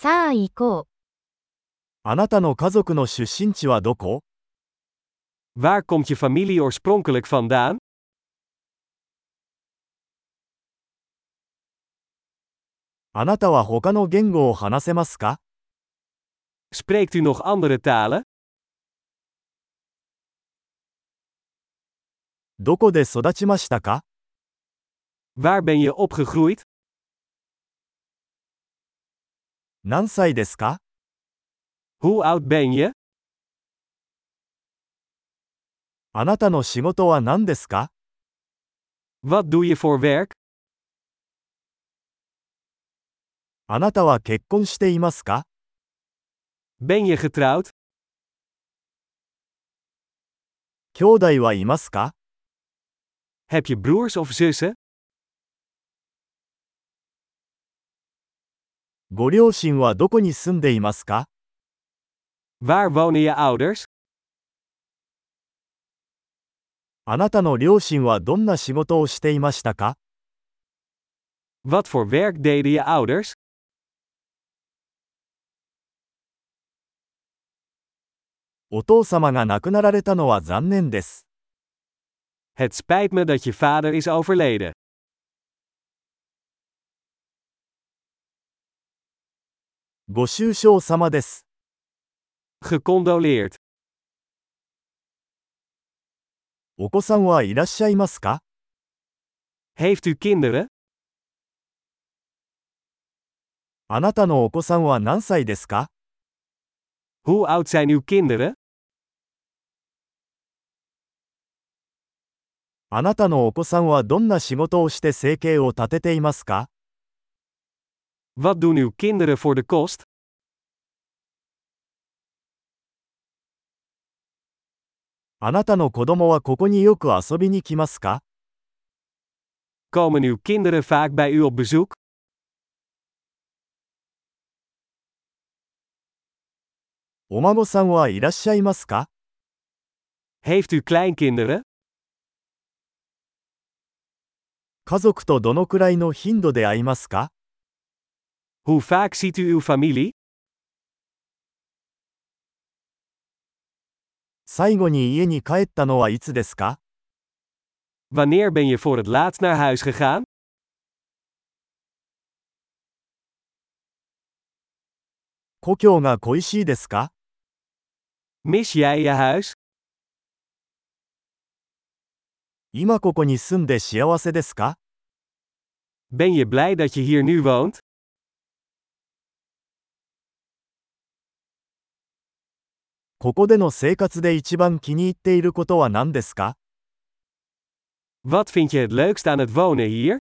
さあ行こう。あなたの家族の出身地はどこ？ Waar komt je familie oorspronkelijk vandaan? あなたは他の言語を話せますか？ Spreekt u nog andere talen? どこで育ちましたか？ Waar ben je opgegroeid? 何歳ですか？ Hoe oud ben je? あなたの仕事は何ですか？ Wat doe je voor werk? あなたは結婚していますか？ Ben je getrouwd? 兄弟はいますか？ Heb je broers of zussen? ご両親はどこに住んでいますか？ Waar wonen je ouders? あなたの両親はどんな仕事をしていましたか？ Wat voor werk deden je ouders? お父様が亡くなられたのは残念です。Het spijt me dat je vader is overleden. ご愁傷様です。Gecondoleerd. お子さんはいらっしゃいますか？ Heeft u kinderen? あなたのお子さんは何歳ですか？ Hoe oud zijn uw kinderen? あなたのお子さんはどんな仕事をして生計を立てていますか？ Wat doen uw kinderen voor de kost? あなたの子供はここによく遊びに来ますか？ Komen uw kinderen vaak bij u op bezoek? お孫さんはいらっしゃいますか？ Heeft u kleinkinderen? 家族とどのくらいの頻度で会いますか？ Hoe vaak ziet u uw familie? 最後に家に帰ったのはいつですか？ Wanneer ben je voor het laatst naar huis gegaan? 故郷が恋しいですか？ Mis jij je huis? 今ここに住んで幸せですか？ Ben je blij dat je hier nu woont? ここでの生活で一番気に入っていることは何ですか？ Wat vind je het leukst aan het wonen hier?